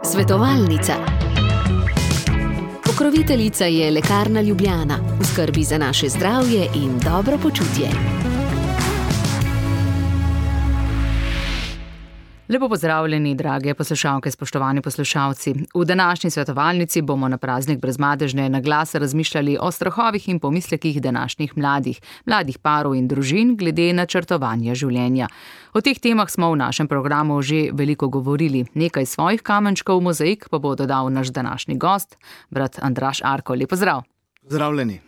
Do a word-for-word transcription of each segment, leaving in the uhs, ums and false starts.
Svetovalnica. Pokroviteljica je Lekarna Ljubljana, v skrbi za naše zdravje in dobro počutje. Lepo pozdravljeni, drage poslušalke, spoštovani poslušalci. V današnji svetovalnici bomo na praznik Brezmadežne na glas razmišljali o strahovih in pomislekih današnjih mladih, mladih parov in družin glede načrtovanja življenja. O teh temah smo v našem programu že veliko govorili. Nekaj svojih kamenčkov v mozaik pa bo dodal naš današnji gost, brat Andraž Arko. Lep pozdrav. Pozdravljeni.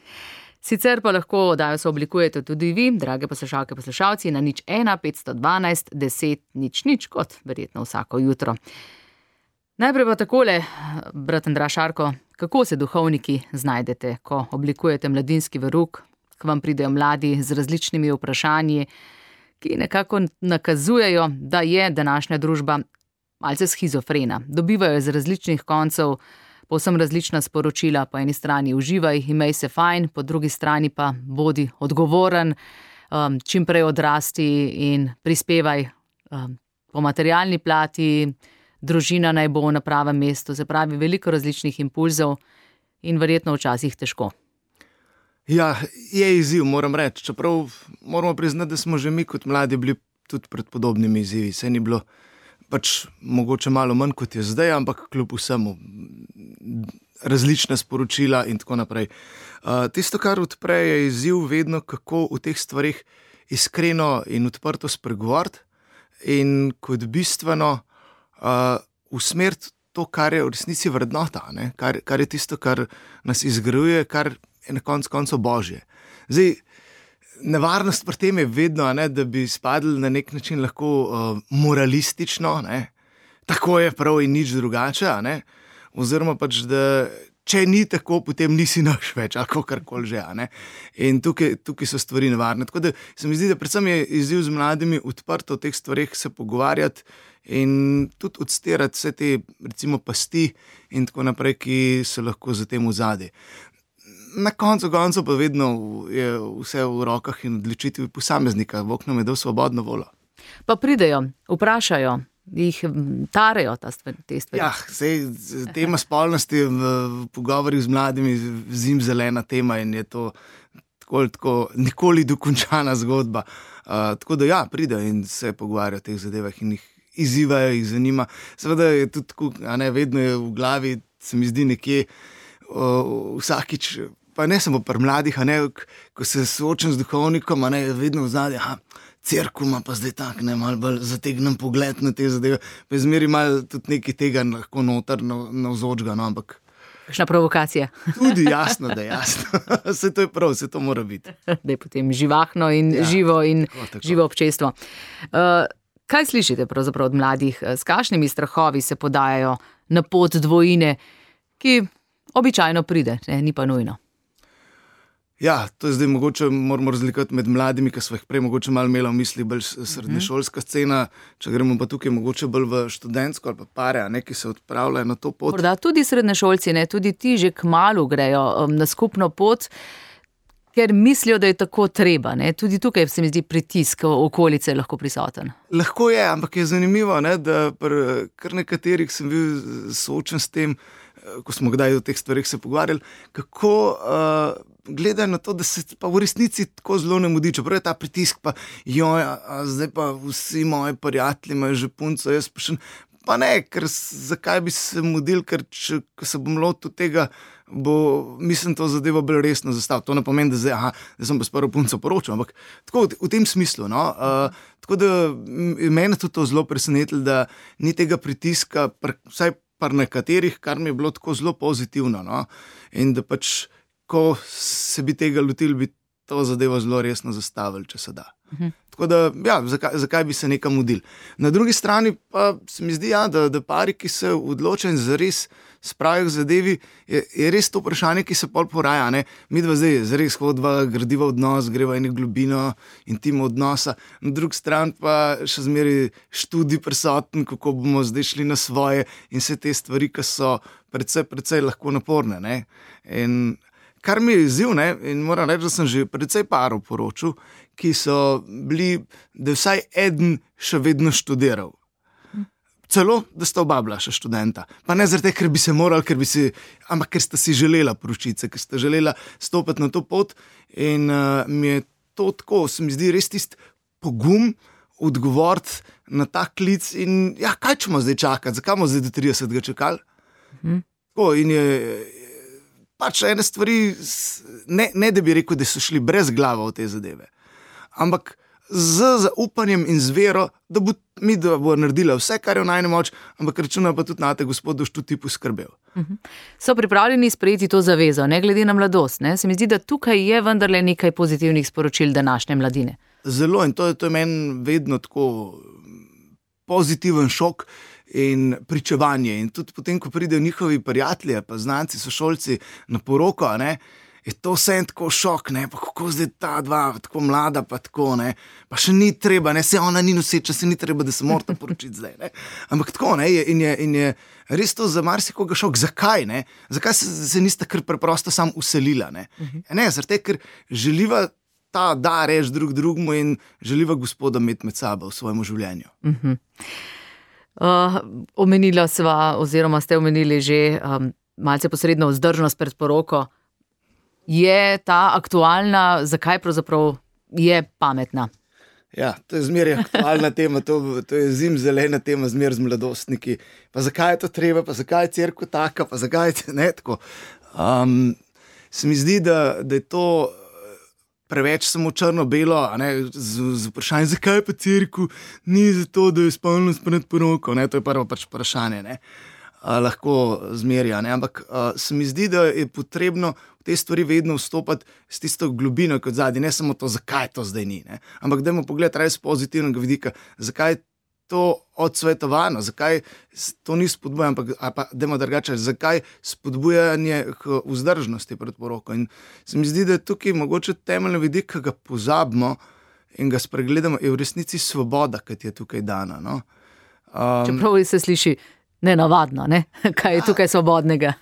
Sicer pa lahko oddajo sooblikujete tudi vi, drage poslušalke, poslušalci, na nič ena petsto dvanajst deset nič nič, kot verjetno vsako jutro. Najprej pa takole, brat Andraž Arko, kako se duhovniki znajdete, ko oblikujete mladinski verug, ko vam pridejo mladi z različnimi vprašanji, ki nekako nakazujejo, da je današnja družba malce shizofrena. Dobivajo iz različnih koncev povsem različna sporočila, po eni strani uživaj, imej se fajn, po drugi strani pa bodi odgovoren, um, čim prej odrasti in prispevaj um, po materialni plati, družina naj bo na pravem mestu, se pravi veliko različnih impulzov in verjetno včasih težko. Ja, je izziv, moram reči, čeprav moramo priznati, da smo že mi kot mladi bili tudi pred podobnimi izzivi, se ni bilo pač mogoče malo manj kot je zdaj, ampak kljub vsemu različna sporočila in tako naprej. Uh, tisto, kar odpre, je izziv vedno, kako v teh stvarih iskreno in odprto spregovoriti in kot bistveno uh, usmeriti to, kar je v resnici vrednota, ne? Kar, kar je tisto, kar nas izgrajuje, kar je na koncu koncev božje. Zdaj, nevarnost pri tem je vedno, ne, da bi spadli na nek način lahko uh, moralistično, ne, tako je prav in nič drugače, ne, oziroma pač, da če ni tako, potem nisi naš več, ali karkoli že, ne. In tukaj, tukaj so stvari nevarne. Tako da se mi zdi, da predvsem je izziv z mladimi odprto o teh stvareh se pogovarjati in tudi odstirati vse te, recimo, pasti in tako naprej, ki so lahko za tem vzadje. Na koncu koncu pa vedno je vse v rokah in odločitvi posameznika, Bog nam je dal svobodno voljo. Pa pridejo, vprašajo, jih tarejo ta stvari, te stvari. Ja, sej, tema spolnosti v pogovorih z mladimi zim zelena tema in je to tako, tako nikoli dokončana zgodba. Uh, tako da ja, pridejo in se pogovarjajo o teh zadevah in jih izzivajo, jih zanima. Seveda je tudi tako, a ne, vedno je v glavi, se mi zdi nekje uh, vsakič, pa ne samo pri mladih, a ne, ko se soočam z duhovnikom, a ne, vedno v zadnje, aha, cerkev ima pa zdaj tak, ne, malo bolj zategnem pogled na te zadeve, pa je zmeri malo tudi nekaj tega lahko noter navzočga, no, ampak... Kakšna provokacija. Tudi jasno, da je jasno. Vse to je prav, vse to mora biti. Da je potem živahno in ja, živo in tako, tako. Živo občestvo. Uh, kaj slišite pravzaprav od mladih? S kakšnimi strahovi se podajajo na pot dvojine, ki običajno pride, ne, ni pa nujno? Ja, to je zdaj mogoče, moramo razlikovati med mladimi, ki smo jih prej mogoče malo imeli v misli, bolj srednješolska scena, če gremo pa tukaj mogoče bolj v študentsko ali pa pare, ne, ki se odpravljajo na to pot. Morda tudi srednješolci, ne, tudi ti že kmalu grejo um, na skupno pot, ker mislijo, da je tako treba, ne. Tudi tukaj se mi zdi pritisk okolice lahko prisoten. Lahko je, ampak je zanimivo, ne, da pri kar nekaterih sem bil soočen s tem, ko smo kdaj o teh stvarih se pogovarjali, kako uh, gledajo na to, da se pa v resnici tako zelo ne mudi. Čeprav je ta pritisk pa, joj, a zdaj pa vsi moji prijatelji imajo že punco, jaz pa še pa ne, ker zakaj bi se mudil, ker če se bom lotil tega, bo, mislim, to zadevo bolj resno zastavil. To ne pomeni, da zdaj, aha, da sem pa s prvo punco poročil, ampak tako v, v tem smislu, no. Uh, tako da mene tudi to zelo presenetilo, da ni tega pritiska, pr, vsaj par nekaterih, kar mi je bilo tako zelo pozitivno, no. In da pač, ko se bi tega lotili, bi to zadevo zelo resno zastavili, če se da. Uh-huh. Tako da, ja, zakaj, zakaj bi se nekam mudili. Na drugi strani pa se mi zdi, ja, da, da pari, ki se odločajo in zares spravijo k zadevi, je, je res to vprašanje, ki se pol poraja, ne. Mi dva zdaj zares hodva, gradiva odnos, greva eno globino intimno odnosa, na drugi strani pa še zmeri študij prisoten, kako bomo zdaj šli na svoje in vse te stvari, ki so precej, precej lahko naporne, ne. In kar mi je izziv, ne, in moram reči, da sem že precej parov poročil, ki so bili, da vsaj eden še vedno študiral. celo, da sta oba bila še študenta. Pa ne zaradi tega, ker bi se morali, ker bi si, ampak ker sta si želela poročiti se, ker sta želela stopiti na to pot. In uh, mi je to tako, se mi zdi res tisti pogum odgovoriti na ta klic in ja, kaj ćemo zdaj čakati, zakaj bomo zdaj do tridesetega čakali? Mhm. Tako, in je pač ene stvari, ne, ne da bi rekel, da so šli brez glava v te zadeve, ampak z zaupanjem in z vero, da bo mi da bo naredila vse, kar je v najni moč, ampak računa pa tudi na te, gospod, boš tudi ti poskrbel. Mhm. So pripravljeni sprejeti to zavezo, ne glede na mladost, ne? Se mi zdi, da tukaj je vendarle nekaj pozitivnih sporočil današnje mladine. Zelo, in to je, to je meni vedno tako pozitiven šok in pričevanje. In tudi potem, ko pridejo njihovi prijatelji, pa znanci, sošolci na poroko, ne, je to vse tako šok, ne, pa kako zdaj ta dva, tako mlada, pa tako, ne, pa še ni treba, ne, se ona ni noseča, se ni treba, da se morata poročiti zdaj, ne. Ampak tako, ne, in je, in je res to za marsikoga šok. Zakaj, ne? Zakaj se, se nista kar preprosto sam uselila, ne? Ne, zaradi tega, ker želiva ta da reč drug drugmu in želiva gospoda imeti med sabo v svojem življenju. Uh-huh. Uh, omenila sva, oziroma ste omenili že um, malce posredno vzdržnost pred poroko. Je ta aktualna, zakaj pravzaprav je pametna? Ja, to je zmeraj aktualna tema, to, to je zimzelena tema zmeraj z mladostniki. Pa zakaj je to treba, pa zakaj je cerkev taka, pa zakaj je ne tako. Um, se mi zdi, da, da je to preveč samo črno-belo, a ne, z, z vprašanjem, zakaj pa cerkev ni zato, da je spolnost pred poroko, ne, to je prvo pač vprašanje, ne. A, lahko zmerja, ne, ampak a, se mi zdi, da je potrebno v te stvari vedno vstopati s tisto globino kot zadnji, ne samo to, zakaj to zdaj ni, ne, ampak dajmo pogledati res pozitivnega vidika, zakaj to odsvetovano, zakaj to ni spodbujanje, ampak pa dajmo drugače, zakaj spodbujanje k vzdržnosti pred poroko. In se mi zdi, da je tukaj mogoče temeljni vidik, ki ga pozabimo in ga spregledamo, je v resnici svoboda, ki je tukaj dana. No? Um, Čeprav se sliši nenavadno, ne? Kaj je tukaj svobodnega?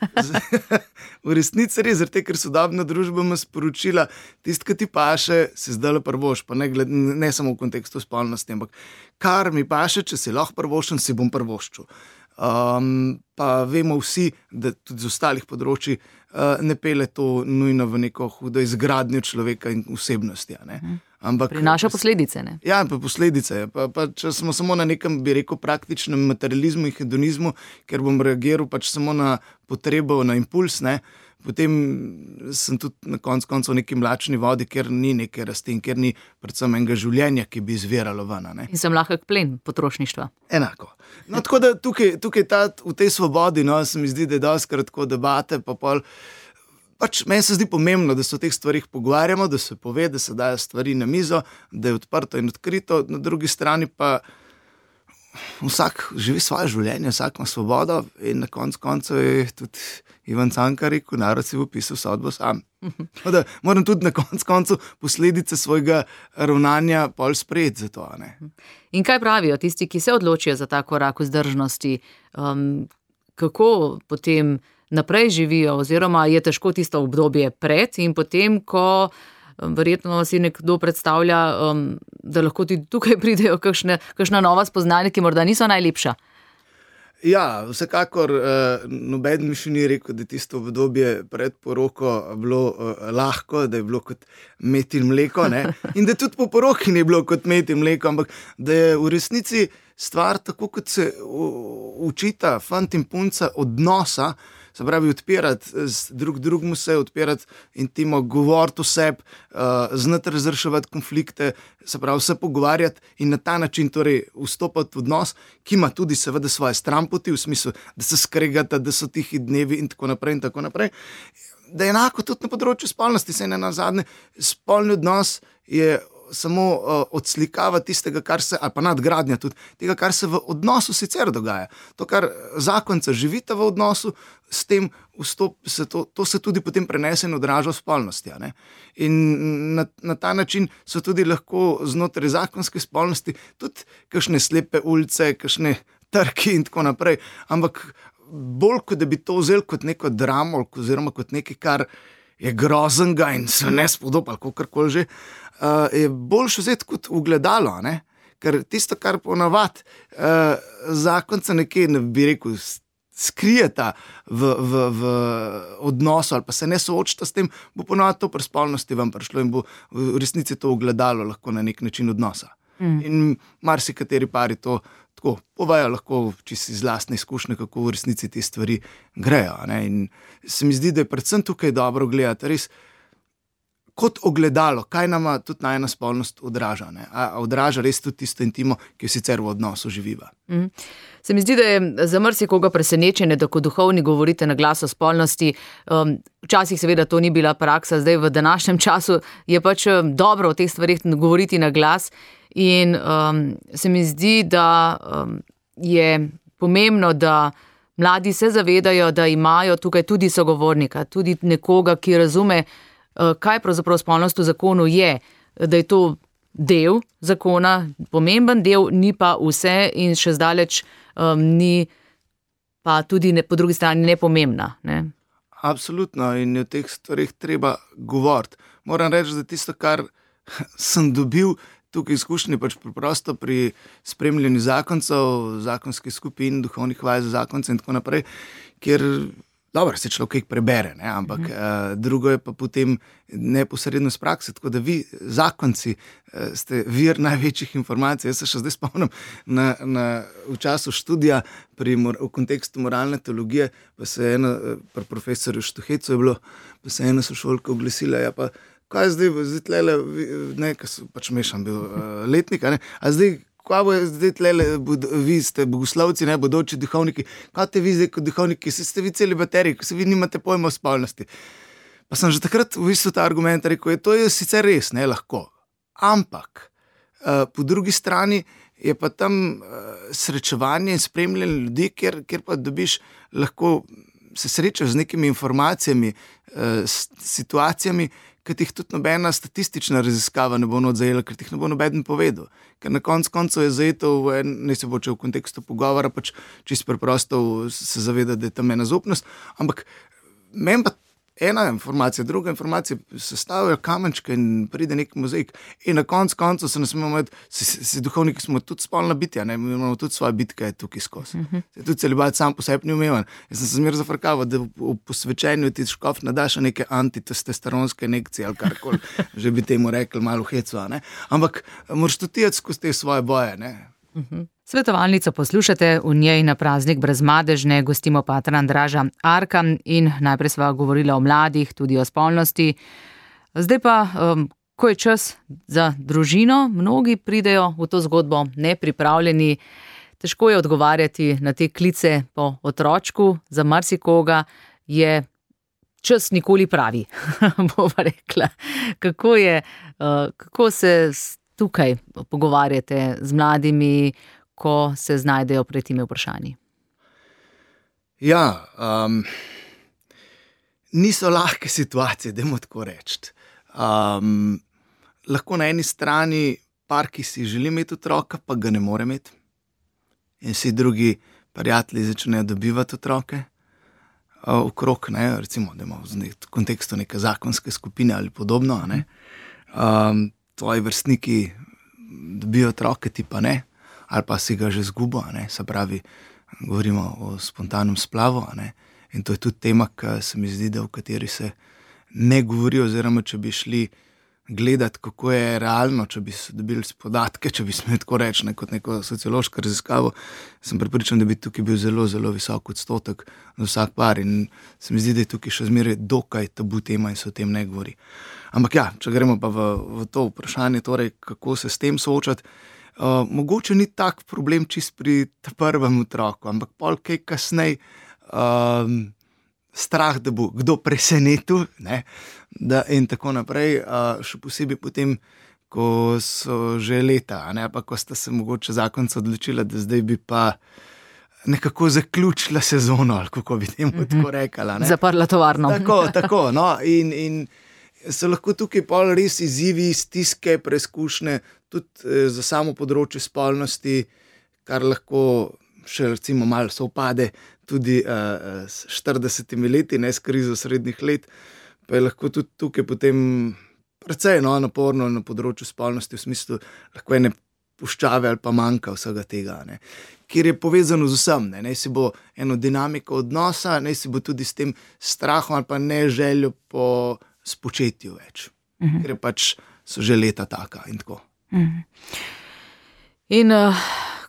V resnici res, zato ker sodobna družba ima sporočila, tisto, ki ti paše, se zdaj prvoš, pa ne, gled, ne samo v kontekstu spolnosti, ampak kar mi paše, če si lahko prvoščen, si bom prvoščil. Um, pa vemo vsi, da tudi z ostalih področji uh, ne pele to nujno v neko hudo izgradnjo človeka in osebnosti. Ne? Ampak prinaša posledice, ne? Ja, pa posledice. Pa, pa če smo samo na nekem, bi rekel, praktičnem materializmu in hedonizmu, ker bom reagiral pač samo na potrebo, na impuls, ne, potem sem tudi na koncu koncev v neki mlačni vodi, ker ni neke rasti in ker ni predvsem enega življenja, ki bi izviralo ven. Ne. In sem lahek plen potrošništva. Enako. No, tako da tukaj, tukaj ta, v tej svobodi, no, se mi zdi, da je doskrat tako debate, pa pol. Pač meni se zdi pomembno, da se o teh stvarih pogovarjamo, da se pove, da se dajo stvari na mizo, da je odprto in odkrito, na drugi strani pa vsak živi svoje življenje, vsak ima svobodo in na koncu koncev je tudi Ivan Cankar rekel, narod si bo pisal sodbo sam. Da, moram tudi na koncu koncev posledice svojega ravnanja pol sprejeti za to. Ne? In kaj pravijo tisti, ki se odločijo za ta korak vzdržnosti? Um, kako potem naprej živijo, oziroma je težko tisto obdobje pred in potem, ko verjetno si nekdo predstavlja, um, da lahko tudi tukaj pridejo kakšne, kakšna nova spoznanja, ki morda niso najlepša. Ja, vsekakor eh, noben mi še ni rekel, da je tisto obdobje pred poroko bilo eh, lahko, da je bilo kot med in mleko, ne? In da tudi po poroki ni bilo kot med in mleko, ampak da je v resnici stvar tako, kot se učita fant in punca odnosa, se pravi odpirati drug drugmu se, odpirati intimo, govoriti o sebi, uh, znati razreševati konflikte, se pravi se pogovarjati in na ta način torej vstopati v odnos, ki ima tudi seveda svoje stranpoti, v smislu, da se skregata, da so tihi dnevi in tako naprej in tako naprej. Da je enako tudi na področju spolnosti, se ne nazadnje, spolni odnos je samo uh, odslikava tistega, kar se, ali pa nadgradnja tudi, tega, kar se v odnosu sicer dogaja. To, kar zakonca živita v odnosu, s tem vstop, se to, to se tudi potem prenese in odraža v spolnosti. Ne? In na, na ta način so tudi lahko znotraj zakonske spolnosti tudi kakšne slepe ulice, kakšne trki in tako naprej, ampak bolj, kot da bi to vzel kot neko dramo, oziroma kot nekaj, kar je groznega in se ne spodoba, ali kakorkoli že, uh, je boljše vzeti kot ugledalo, ne? Ker tisto, kar ponavadi uh, zakonca nekje, ne bi rekel, skrijeta v, v, v odnosu ali pa se ne soočita s tem, bo ponovno to pri spolnosti vam prišlo in bo v resnici to ogledalo lahko na nek način odnosa. Mm. In marsikateri pari to tako povejo lahko čisto iz lastne izkušnje, kako v resnici te stvari grejo. Ne? In se mi zdi, da je predvsem tukaj dobro gledati res kot ogledalo, kaj nama tudi najna spolnost odraža. Ne? A odraža res tudi tisto intimo, ki jo sicer v odnosu živiva. Mm. Se mi zdi, da je za marsikoga presenečenje, da ko duhovni govorite na glas o spolnosti, um, včasih seveda to ni bila praksa, zdaj v današnjem času je pač dobro o teh stvarih govoriti na glas in um, se mi zdi, da um, je pomembno, da mladi se zavedajo, da imajo tukaj tudi sogovornika, tudi nekoga, ki razume, kaj pravzaprav spolnost v zakonu je, da je to del zakona, pomemben del, ni pa vse in še zdaleč um, ni pa tudi ne, po drugi strani nepomembna. Ne? Absolutno in o teh stvarih treba govoriti. Moram reči, da tisto, kar sem dobil tukaj izkušnje, pač preprosto pri spremljanju zakoncev, zakonskih skupin, duhovnih vaj za zakonce in tako naprej, kjer dobro, se človek prebere, ne? Ampak mm. uh, drugo je pa potem neposredno z prakse, tako da vi, zakonci, uh, ste vir največjih informacij. Jaz se še zdaj spomnim na, na, v času študija pri, v kontekstu moralne teologije, pa se je ena, pri profesorju Štuhecu je bilo, pa se je ena sošolka oglasila, ja pa, kaj zdaj, zdaj tlele, ne, kaj so pač mešan bil uh, letnik, a ne, a zdaj, kaj bo zdaj tlele, vi ste bogoslovci, ne, bodoči duhovniki, kaj te vi zdaj kot duhovniki, se ste vi celi bateriji, ko se vi nimate pojma o spolnosti. Pa sem že takrat v bistvu ta argument rekel, je to je sicer res, ne, lahko, ampak uh, po drugi strani je pa tam uh, srečevanje in spremljanje ljudi, kjer, kjer pa dobiš lahko se srečaš z nekimi informacijami, uh, s situacijami, ker ti jih tudi nobena statistična raziskava ne bo odzajela, ker ti jih ne bo nobeden povedal. Ker na koncu koncev je zajeto, ne se bo če v kontekstu pogovora, pač čisto preprosto se zaveda, da je tam ena zaupnost, ampak meni pa ena informacija, druga informacija sestavljajo kamenčke in pride nek mozaik. In na koncu koncev se ne smemo imeti, si, si duhovniki smo tudi spolna bitja, ne, mi imamo tudi svoje bitke tukaj skozi. Uh-huh. Tudi celibat sam po sebi ni umevan. Jaz sem se zmer zafrkaval, da v, v posvečenju ti škof nadaš neke antitestosteronske injekcije ali karkoli, že bi temu rekli malo hecu, ne. Ampak moraš tudi jeti skozi te svoje boje, ne. Uh-huh. Svetovalnico poslušate, v njej na praznik Brezmadežne gostimo patra Andraža Arka in najprej sva govorila o mladih, tudi o spolnosti. Zdaj pa, um, ko je čas za družino, mnogi pridejo v to zgodbo nepripravljeni. Težko je odgovarjati na te klice po otročku, za marsikoga je čas nikoli pravi, bova rekla. Kako je, uh, kako se tukaj pogovarjate z mladimi, ko se znajdejo pred temi vprašanji? Ja, um, niso lahke situacije, dajmo tako reči. Um, lahko na eni strani par, ki si želi imeti otroka, pa ga ne more imeti. In vsi drugi prijatelji začnejo dobivati otroke uh, okrog, ne, recimo, da imamo v kontekstu neke zakonske skupine ali podobno. Ne. Um, tvoji vrstniki dobijo otroke, ti pa ne. Ali pa si ga že zgubo, ne? Se pravi, govorimo o spontanem splavu, ne? In to je tudi tema, ki se mi zdi, da v kateri se ne govori, oziroma če bi šli gledati, kako je realno, če bi se dobili podatke, če bi smeli tako reči, ne, kot neko sociološko raziskavo, sem prepričan, da bi tukaj bil zelo, zelo visok odstotek za vsak par in se mi zdi, da je tukaj še zmeraj dokaj tabu tema in se o tem ne govori. Ampak ja, če gremo pa v, v to vprašanje, torej, kako se s tem soočati, Uh, mogoče ni tak problem čist pri prvem otroku, ampak pol kaj kasnej um, strah, da bo kdo presenetil, ne, da in tako naprej, uh, še posebej potem, ko so že leta, ne, pa ko sta se mogoče zakonca odločila, da zdaj bi pa nekako zaključila sezono, ali kako bi temu mm-hmm. tako rekala. Ne. Zaprla tovarno. Tako, tako, no, in, in so lahko tukaj pol res izzivi, stiske, preizkušnje, tudi za samo področje spolnosti, kar lahko še recimo malo sovpade tudi uh, s štiridesetimi leti, ne s krizo srednjih let, pa je lahko tudi tukaj potem precej no, naporno na področju spolnosti, v smislu lahko ene puščave ali pa manjka vsega tega, ne. Kjer je povezano z vsem, ne. Naj si bo eno dinamiko odnosa, naj si bo tudi s tem strahom ali pa ne željo po spočetju več. Uh-huh. Ker je pač so že leta taka in tako. Uh-huh. In uh,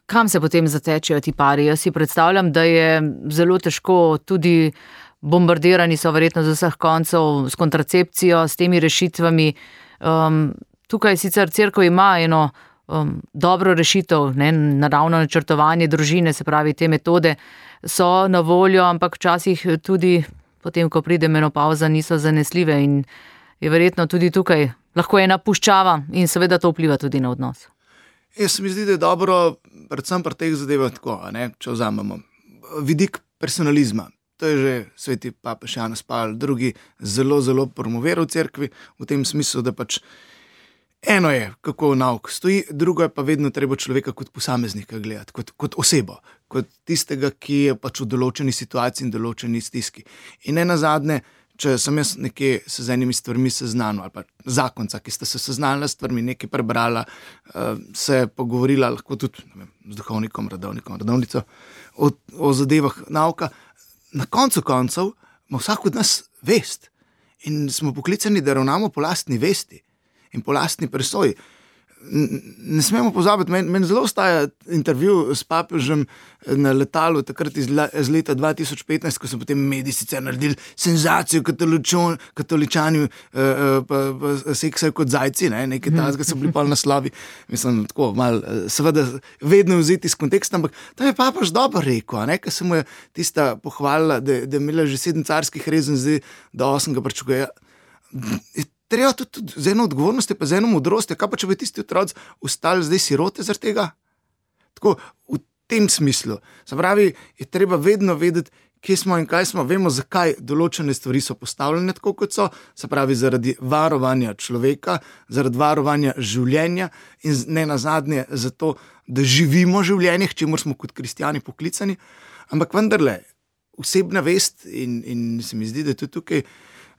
kam se potem zatečejo ti pari? Jaz si predstavljam, da je zelo težko, tudi bombardirani so verjetno z vseh koncev s kontracepcijo, s temi rešitvami. Um, tukaj sicer cerkev ima eno um, dobro rešitev, ne, naravno načrtovanje družine, se pravi, te metode so na voljo, ampak včasih tudi potem, ko pride menopavza, niso zanesljive in je verjetno tudi tukaj lahko ena puščava in seveda to vpliva tudi na odnos. Jaz mi zdi, da je dobro, predvsem pri teh zadevah tako, ne, če vzamemo vidik personalizma. To je že sveti papež Janez Pavel drugi zelo, zelo promoviral v cerkvi, v tem smislu, da pač eno je, kako nauk stoji, drugo je pa vedno treba človeka kot posameznika gledati, kot, kot osebo, kot tistega, ki je pač v določeni situaciji in določeni stiski. In ne nazadnje, če sem jaz nekje se z enimi stvarmi seznanil, ali pa zakonca, ki sta se seznanila s stvarmi, nekaj prebrala, se pogovorila, lahko tudi ne vem, z duhovnikom, radovnikom, radovnico, o, o zadevah nauka, na koncu koncev ima vsak od nas vest in smo poklicani, da ravnamo po lastni vesti in po lastni presoji. Ne smemo pozabiti, meni men zelo ostaja intervju s papežem na letalu takrat iz, iz leta dva tisoč petnajst, ko so potem mediji sicer naredili senzacijo, katoličani uh, uh, pa, pa seksajo kot zajci, ne? Nekaj tazga so bili pol naslovi, mislim, tako malo, seveda vedno vzeti iz konteksta, ampak tam je papež dobro rekel, ne? Ker se mu je tista pohvalila, da, da je imela že sedem carskih rezen, zdaj do osem ga pričakuje. Treba tudi, tudi z eno odgovornosti, pa z eno modrosti, kaj pa če bi tisti otroci ostali zdaj sirote zaradi tega? Tako, v tem smislu. Se pravi, je treba vedno vedeti, kje smo in kaj smo, vemo, zakaj določene stvari so postavljene tako, kot so, se pravi, zaradi varovanja človeka, zaradi varovanja življenja in ne nazadnje zato, da živimo življenje, k čemur smo kot kristjani poklicani, ampak vendarle, osebna vest in, in se mi zdi, da je tudi tukaj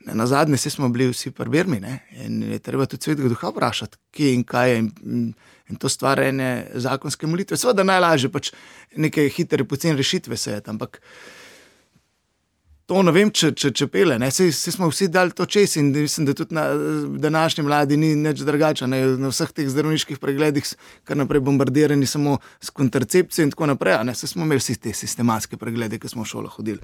ne, na zadnje se smo bili vsi pri Birmi, ne, in je treba tudi svetega duha vprašati, kje in kaj je, in, in to stvar ene zakonske molitve. Seveda najlažje pač neke hitre, poceni rešitve sejati, ampak to ne vem, če, če, če pele, ne, se, se smo vsi dali to čez in mislim, da tudi na današnji mladi ni nič drugače, ne, na vseh teh zdravniških pregledih kar naprej bombardirani samo s kontracepcijo in tako naprej, ne, se smo imeli vsi te sistematske preglede, ki smo v šolo hodili.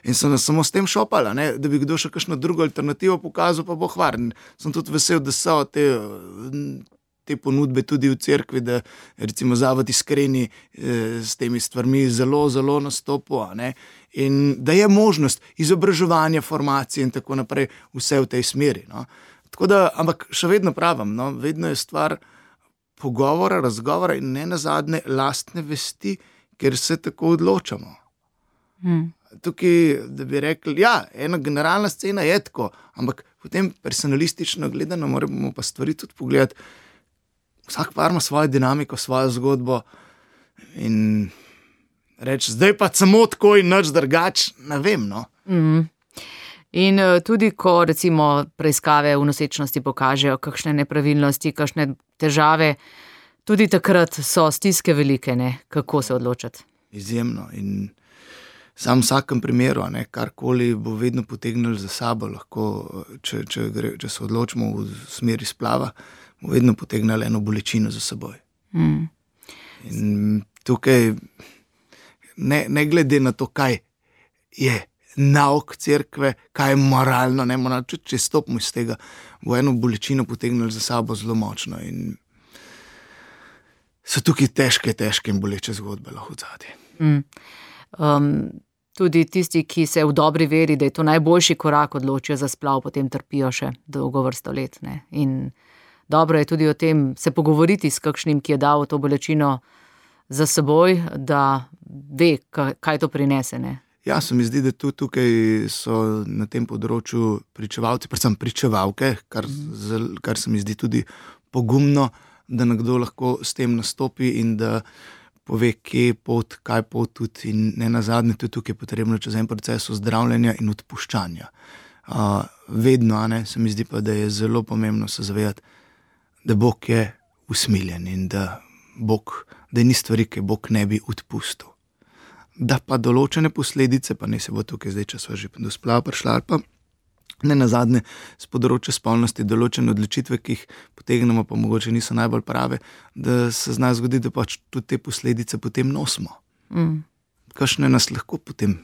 In so nas samo s tem šopali, ne, da bi kdo še kakšno drugo alternativo pokazal, pa bo hvaren. Sem tudi vesel, da so te, te ponudbe tudi v cerkvi, da recimo Zavod Iskreni eh, s temi stvarmi zelo, zelo nastopo, ne, in da je možnost izobraževanja, formacije in tako naprej vse v tej smeri. No. Tako da, ampak še vedno pravim, no, vedno je stvar pogovora, razgovora in ne nazadnje lastne vesti, ker se tako odločamo. Hmm. Tukaj, da bi rekli, ja, ena generalna scena je tako, ampak potem personalistično gledano moramo pa stvari tudi pogledati. Vsak par ima svojo dinamiko, svojo zgodbo in reči, zdaj pa samo tako in nič drugač, ne vem, no. Mm. In tudi, ko recimo preiskave v nosečnosti pokažejo kakšne nepravilnosti, kakšne težave, tudi takrat so stiske velike, ne, kako se odločati. Izjemno in sam v vsakem primeru, ne, karkoli bo vedno potegnili za sabo, lahko, če, če, gre, če se odločimo v smeri splava, bo vedno potegnili eno bolečino za seboj. Mm. In tukaj, ne, ne glede na to, kaj je nauk cerkve, kaj je moralno, ne moralno, če, če stopimo iz tega, bo eno bolečino potegnili za sabo zelo močno in so tukaj težke, težke in boleče zgodbe lahko odzadje. Mm. Um, tudi tisti, ki se v dobri veri, da je to najboljši korak, odločijo za splav, potem trpijo še dolgo vrsto let. Ne? In dobro je tudi o tem se pogovoriti s kakšnim, ki je dal to bolečino za seboj, da ve, kaj to prinese. Ne? Ja, se mi zdi, da tudi tukaj so na tem področju pričevalci, predvsem pričevalke, kar, mm. kar se mi zdi tudi pogumno, da nekdo lahko s tem nastopi in da pove, kje je pot, kaj je pot tudi in ne nazadnje tudi tukaj je potrebno čez en proces ozdravljanja in odpuščanja. Uh, vedno, ne, se mi zdi pa, da je zelo pomembno se zavedati, da Bog je usmiljen in da Bog, da ni stvari, ki Bog ne bi odpustil. Da pa določene posledice, pa ne se bo tukaj zdaj, če sva že do splava prišla, ali pa ne nazadnje z področja spolnosti, določene odločitve, ki jih potegnemo, pa mogoče niso najbolj prave, da se zna zgoditi, da pač tudi te posledice potem nosimo. Mm. Kakšne nas lahko potem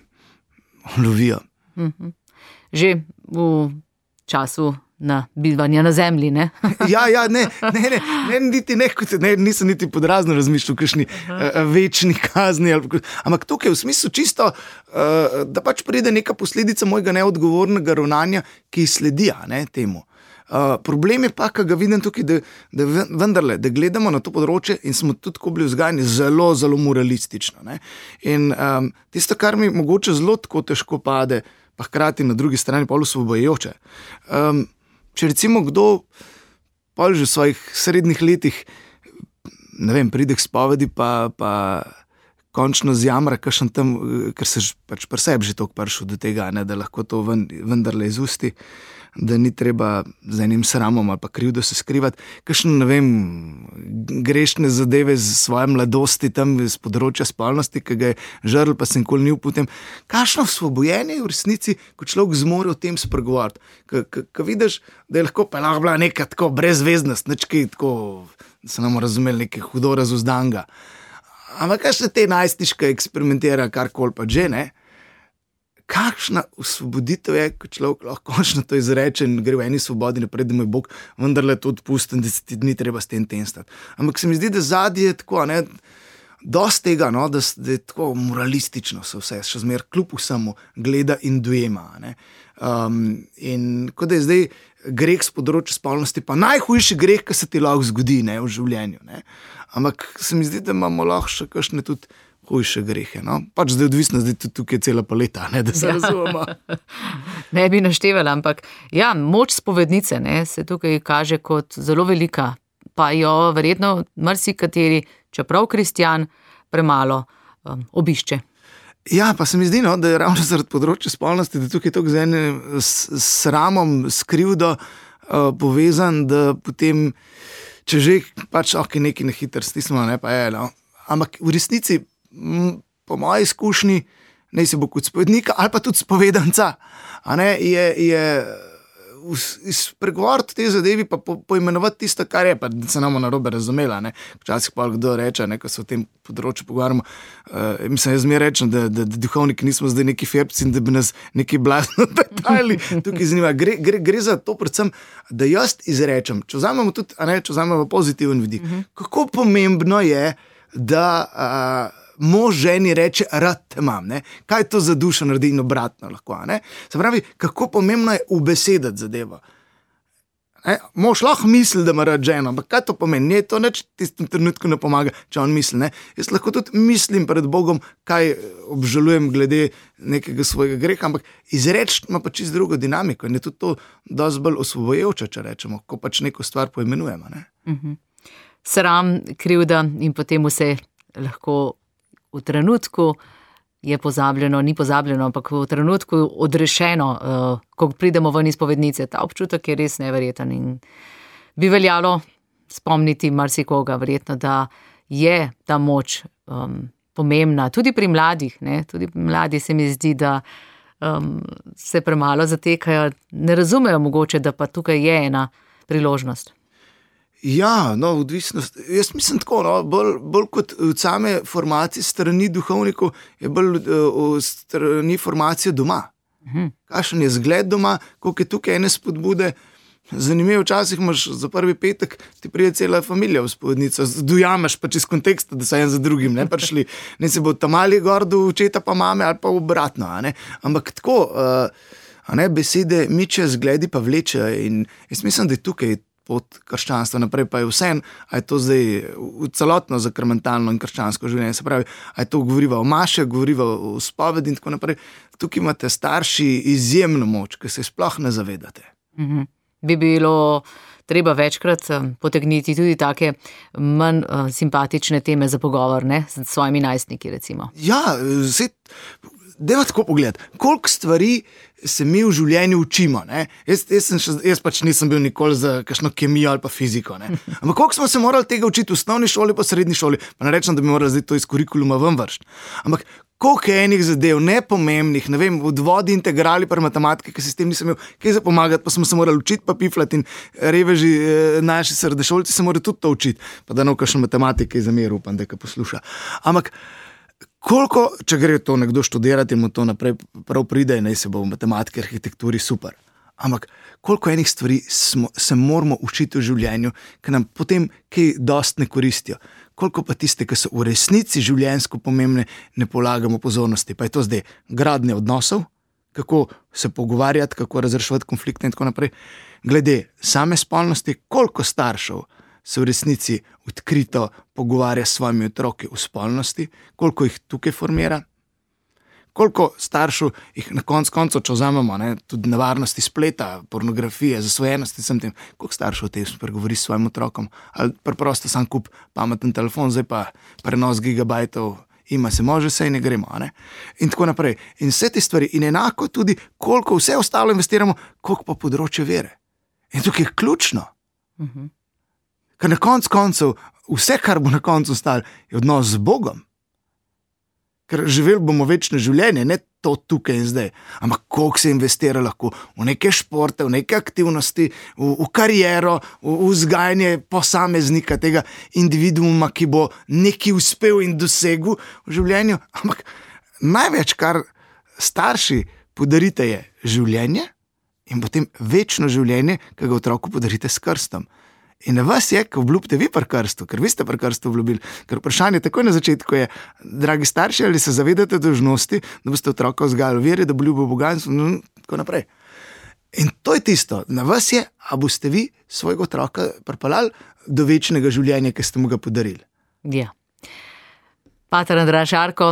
lovijo. Mm-hmm. Že v času na bivanja na zemlji, ne? ja, ja, ne, ne, ne, ne, niti ne, ne, nisem niti podrazno razmišljal, kakšni uh, večni kazni, ali, ampak tukaj v smislu čisto, uh, da pač pride neka posledica mojega neodgovornega ravnanja, ki sledi ne, temu. Uh, problem je pa, ki ga vidim tukaj, da, da vendarle, da gledamo na to področje in smo tudi, ko bili vzgajani, zelo, zelo moralistično. Ne? In um, tisto, kar mi mogoče zelo tako težko pade, pa hkrati na drugi strani pol osvobojujoče. Um, če recimo kdo pol že v svojih srednjih letih, ne vem, pride k spovedi, pa, pa končno zjamra, kakšen tam, ker se pač pri sebi že toliko prišel do tega, ne, da lahko to ven, vendarle izusti, da ni treba z enim sramom ali pa krivdo se skrivati, kakšno, ne vem, grešne zadeve z svoje mladosti tam z področja spolnosti, ki ga je žrl, pa se nikoli ni uputem. Kakšno osvobojenje v resnici, ko človek zmore o tem spregovoriti, ko vidiš, da je lahko pa lahko bila neka tako brezveznost, nečki tako, da se nam razumeli, nekaj hudo razuzdanga. Ampak kakšne te najstniške eksperimentira, karkoli pa že, ne? Kakšna osvoboditev je, ko človek lahko končno to izreče in gre v eni svobodi naprej, da mu je Bog vendarle to odpustil, da se ti ni treba s tem tenstati. Ampak se mi zdi, da zadnje je tako, ne, dosti tega, no, da, da je tako moralistično se vse, še zmer kljub vsemu gleda in dojema. Ne. Um, in kot da je zdaj greh s področja spolnosti pa najhujši greh, ki se ti lahko zgodi, ne, v življenju. Ne. Ampak se mi zdi, da imamo lahko še kakšne tudi hujše grehe, no? Pač zdaj odvisno, zdaj tudi tukaj je cela paleta, ne, da se ja. razumemo. Ne bi naštevala, ampak ja, moč spovednice, ne, se tukaj kaže kot zelo velika, pa jo verjetno marsikateri, čeprav kristjan, premalo um, obišče. Ja, pa se mi zdi, no, da je ravno zaradi področja spolnosti, da tukaj to z enim sramom, s krivdo uh, povezan, da potem, če že pač ok, neki nehiter stismo, ne, pa je, no, ampak v resnici po moji izkušnji, ne se bo kot spovednika ali pa tudi spovedanca, a ne, je, je spregovoriti te zadevi pa po, poimenovati tisto, kar je, pa da se nam narobe razumela, ne. Včasih pa kdo reče, ne, ko se o tem področju pogovarjamo, uh, mislim, jaz mi rečem, da, da, da duhovniki nismo zdaj neki fepci in da bi nas neki blazno detajli tukaj zanima. Gre, gre, gre za to predvsem, da jaz izrečem, če vzamemo tudi, a ne, če vzamemo pozitiven vidik, uh-huh. kako pomembno je, da uh, mož ženi reče, rad te imam, ne? Kaj to za dušo naredi in obratno lahko, ne? Se pravi, kako pomembno je ubesedati zadevo. Ne? Mož lahko misli, da ima rad ženo, ampak kaj to pomeni? Ne, to neč tistem trenutku ne pomaga, če on misli, ne? Jaz lahko tudi mislim pred Bogom, kaj obžalujem glede nekega svojega greha, ampak izreči ima pa čisto drugo dinamiko in je tudi to dosti bolj osvobojujoče, če rečemo, ko pač neko stvar poimenujemo, ne? Mhm. Sram, krivda in potem vse lahko v trenutku je pozabljeno, ni pozabljeno, ampak v trenutku odrešeno, uh, ko pridemo ven iz spovednice. Ta občutek je res neverjeten in bi veljalo spomniti marsikoga, verjetno, da je ta moč um, pomembna, tudi pri mladih, ne? Tudi pri mladih se mi zdi, da um, se premalo zatekajo, ne razumejo mogoče, da pa tukaj je ena priložnost. Ja, no, odvisnost. Jaz mislim tako, no, bolj, bolj kot od same formacije strani duhovnikov je bolj uh, strani formacije doma. Uh-huh. Kakšen je zgled doma, koliko je tukaj ene spodbude. Zanimivo, včasih imaš za prvi petek, ti pride cela familija v spovednico, dojameš pa čez kontekst, da so en za drugim ne prišli. Ne se bo tam ali gor do očeta pa mame ali pa obratno, a ne. Ampak tako, uh, a ne, besede miče, zgledi pa vleče in jaz mislim, da je tukaj pot krščanstva naprej, pa je vsem, a je to zdaj v celotno zakrmentalno in krščansko življenje, se pravi, a je to govoriva o maše, govoriva o spovedi in tako naprej. Tukaj imate starši izjemno moč, ki se sploh ne zavedate. Mm-hmm. bi bilo treba večkrat potegniti tudi take manj uh, simpatične teme za pogovor, ne, s svojimi najstniki, recimo. Ja, zdaj, dajmo tako pogledati, koliko stvari se mi v življenju učimo, ne. Jaz, jaz, sem še, jaz pač nisem bil nikoli za kakšno kemijo ali pa fiziko, ne. Ampak koliko smo se morali tega učiti v osnovni šoli pa srednji šoli, pa ne rečem, da bi morali zdaj to iz kurikuluma ven vršiti. Ampak koliko je enih zadev, nepomembnih, ne vem, v vodi integrali pa matematike, ki se s tem nisem imel kaj za pomagati, pa smo se morali učiti pa piflati in reveži, naši srednješolci se morajo tudi to učiti, pa da ne v kakšno matematike zamer, upam, da ga posluša. Ampak koliko, če gre to nekdo študirati in mu to naprej prav pride, naj se bo v matematiki, arhitekturi, super. Ampak koliko enih stvari smo, se moramo učiti v življenju, ki nam potem kaj dost ne koristijo. Koliko pa tiste, ki so v resnici življenjsko pomembne, ne polagamo pozornosti. Pa je to zdaj gradnja odnosov, kako se pogovarjati, kako razreševati konflikte in tako naprej. Glede same spolnosti, koliko staršev se v resnici odkrito pogovarja s svojimi otroki v spolnosti, koliko jih tukaj formira, koliko staršev jih na konc koncev, če vzamemo, ne, tudi nevarnosti spleta, pornografije, zasvojenosti, sem tem, koliko staršev o tem spregovori s svojim otrokom, ali preprosto sam kup pameten telefon, zdaj pa prenos gigabajtov, ima se može, sej ne gremo, ne? In tako naprej. In vse te stvari, in enako tudi, koliko vse ostalo investiramo, koliko pa področje vere. In tukaj je ključno. Uh-huh. Ker na konc koncev, vse, kar bo na koncu ostalo, je odnos z Bogom. Ker živeli bomo večno življenje, ne to tukaj in zdaj. Ampak koliko se investira lahko v neke športe, v neke aktivnosti, v, v kariero, v, v vzgajanje posameznika, tega individuuma, ki bo nekaj uspel in dosegel v življenju. Ampak največ, kar starši podarite, je življenje in potem večno življenje, ki ga otroku podarite s krstom. In na vas je, ko obljubite vi pri krstu, ker vi ste pri krstu obljubili. Ker vprašanje takoj na začetku je, dragi starši, ali se zavedate dolžnosti, da boste otroka vzgajali v veri, da bo ljubil Boga in tako naprej. In to je tisto, na vas je, a boste vi svojega otroka pripeljali do večnega življenja, ki ste mu ga podarili. Ja. Pater Andraž Arko,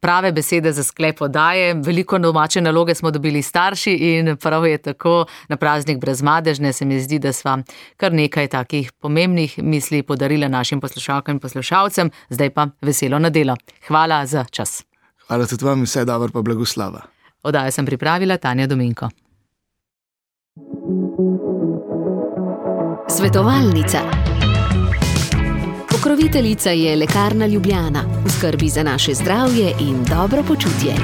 prave besede za sklep oddaje. Veliko domače naloge smo dobili starši in prav je tako, na praznik Brezmadežne se mi zdi, da sva kar nekaj takih pomembnih misli podarila našim poslušalkam in poslušalcem. Zdaj pa veselo nedelo. Hvala za čas. Hvala tudi vam, vse dobro pa blagoslava. Oddajo sem pripravila Tanja Dominko. Svetovalnica. Pokroviteljica je Lekarna Ljubljana, v skrbi za naše zdravje in dobro počutje.